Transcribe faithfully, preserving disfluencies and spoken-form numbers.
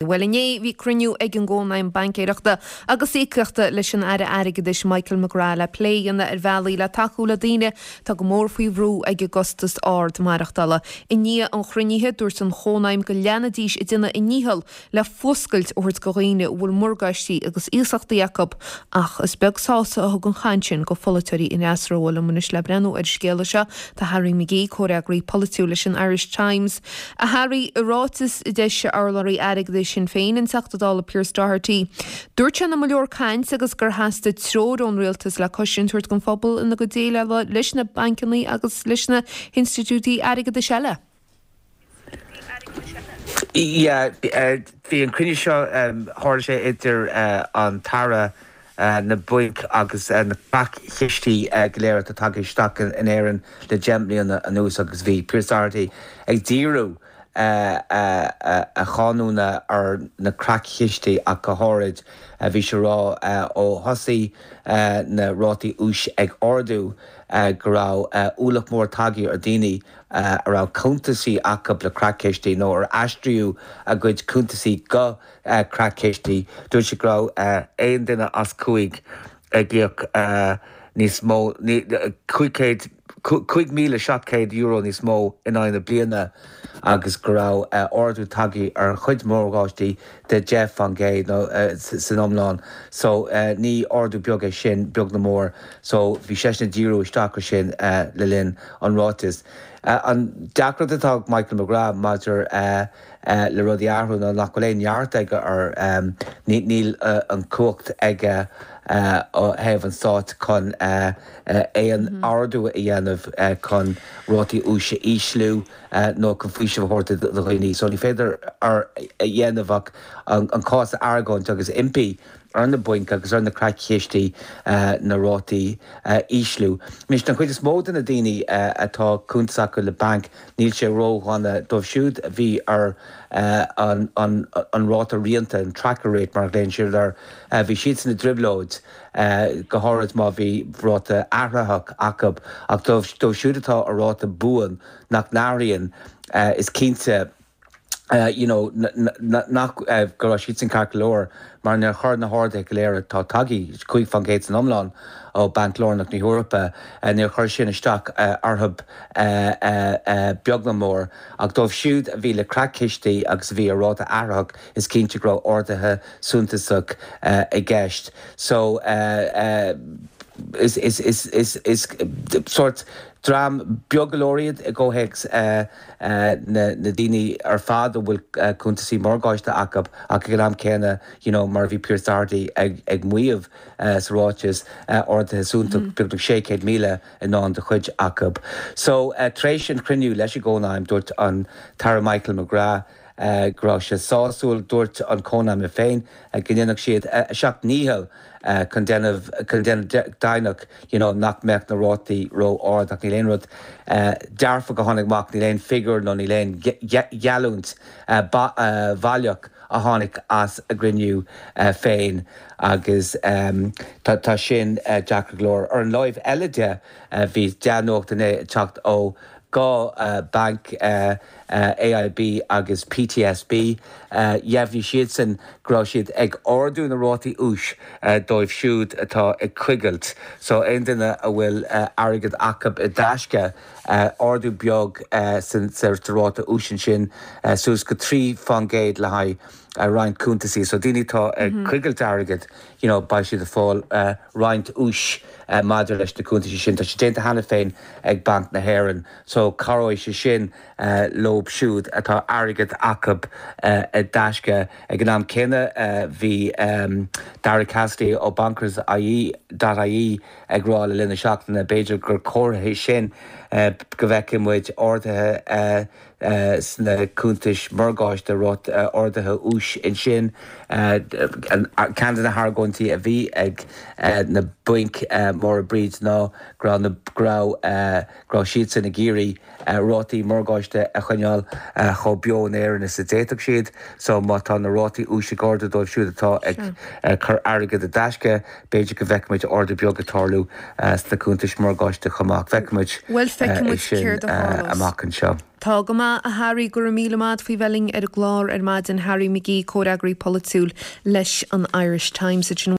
Well inné bhí cruinniú ag an gCónaidhm Baincéireachta agus Íocaíochta leis an Aire Airgeadais Michael McGrath le plé a dhéanamh ar bhealaí le tacú le daoine atá go mór faoi bhrú ag an gcostas ard maireachtála. I ndiaidh an chruinnithe dúirt an Chónaidhm go leanfaidís ag déanamh a ndícheall le fuascailt a thabhairt do dhaoine a bhfuil morgáistí agus iasachtaí acu ach is beag sásamh a thug an chaint sin go pholaiteoirí an fhreasúra liom anois le breathnú ar an scéal seo tá Harry McGee comhfhreagraí polaitiúil leis an Irish Times. A Harry i ráiteas a d'eisigh urlabhraí airgeadais Sinn Féin an Teachta Dála Pearse Doherty. Dúirt sé nach mba leor caint agus gur theastaigh treoir ón rialtas le cosaint a thabhairt don phobal ina gcuid déileála leis na bancanna agus leis na hinstitiúidí airgeadais eile. Yeah, bhí an cruinniú seo tharla sé idir an tAire na bainc agus na creatchistí go léir atá tagtha isteach in Éirinn le deich mbliana anuas agus bhí Pearse Doherty ag díriú a cháineadh ar na creatchistí ach go háirid bhí sé rá ó thosaigh na rátaí úis ag ardú go raibh ualach mór tagtha ar daoine a raibh cuntasaí acu le creatchistí nó ar aistríodh a gcuid cuntasaí go creatchistí dúirt sé go raibh aon duine as cúig ag íoc níos mó cúig chéad cúig míle seacht céad euro níos mó in aghaidh na bliana agus go raibh ardú tagtha ar chuid morgáistí de deich faoin gcéad nó san iomlán so ní ardú beag é sin beag ná mór so bhí seisean ag díriú isteach ar sin le linn an ráitis. An deacracht atá Michael McGrath maidir le rudaí a athrú ná nach bhfuil aon neart aige ar níl an cumhacht aige ó thaobh an stáit chun aon ardú a dhéanamh chun rátaí úis a ísliú nó chun faoiseamh a thabhairt do dhaoine. So ní féidir a dhéanamh ach an cás a argóint agus impí ar na bainc agus ar na creatchistí na rátaí a ísliú. Anois den chuid is mó de na daoine atá cuntas acu le banc níl sé ródhona dóibh siúd a bhí ar an an ráta rianta an tracker rate mar a ghlaonn siad air bhí siadsan i dtrioblóid go háirid má bhí ráta athraitheach acu ach dóibh siúd atá ar ráta buan nach n-athraíonn is cinnte you know nach go raibh siadsan ceart go leor mar níor chuir na harduithe go léir atá tagtha cúig faoin gcéad san iomlán ó Banc Lárnach na hEorpa níor chuir sin isteach orthu beag ná mór ach dóibh siúd a bhí le creatchistí agus a bhí ar ráta athraitheach is cinnte go raibh arduithe suntasach i gceist so is is is is is sort dream beag go leor iad i gcomhthéacs na na daoine ar fad a bhfuil cuntasaí morgáiste acu ach ag an am céanna you know mar a bhí Pearse Doherty ag ag maíomh sa ráiteas arduithe suntasach beagnach sé chéad míle i ndán do chuid acu. So tar éis an chruinniú leis an gCónaidhm dúirt an tAire Michael McGrath go raibh sé sásúil dúirt an Chónaidhm féin go ndéanfadh siad a seacht ndícheall chun déanamh chun déanamh deimhneach you know nach mbeadh na rátaí ró-ard ach níl aon rud dearfach a tháinig amach níl aon figiúr nó níl aon gheallúint bhaileach a tháinig as a gcruinniú féin agus tá sin deacair go leor. Ar an láimh eile de bhí dea-nuacht inné ag teacht ó dhá banc AIB agus PTSB dheimhnigh siadsan go raibh siad ag ardú na rátaí úis dóibh siúd atá ag coigilt so aon duine a bhfuil airgead acu i dtaisce ardú beag sa ráta úis ansin suas go trí faoin gcéad le haghaidh roinnt cuntasaí so daoine atá ag coigilt airgead you know beidh siad ag fáil roinnt úis maidir leis na cuntasaí sin tá sé déanta cheana féin ag Banc na hÉireann so cabhróidh sé sin leo siúd atá airgead acu i dtaisce ag an am céanna bhí Dara Cassidy ó Bankers IE .ie ag rá le linn na seachtaine b'fhéidir gur comhartha sin go bhfeicfidh muid arduithe sna cuntais morgáiste rud arduithe úis ansin ceann de na hargóintí a bhí ag na bainc mhóra Bríd ná go raibh go raibh go raibh siadsan ag iarraidh rátaí morgáiste a choinneáil chomh beo in Éirinn is a d'fhéadfadh siad so má tá na rátaí úis ag ardú dóibh siúd atá ag cur airgead i dtaisce b'fhéidir go bhfeicfimid ardú beag ag tarlú sna cuntais morgáiste chomh maith feicfimid Well Feicfidh muid sin céard a tharlós. amach anseo. Tá go maith a Harry go raibh míle maith faoi bheith linn ar an gclár ar maidin Harry McGee comhfhreagraí polaitiúil leis an Irish Times.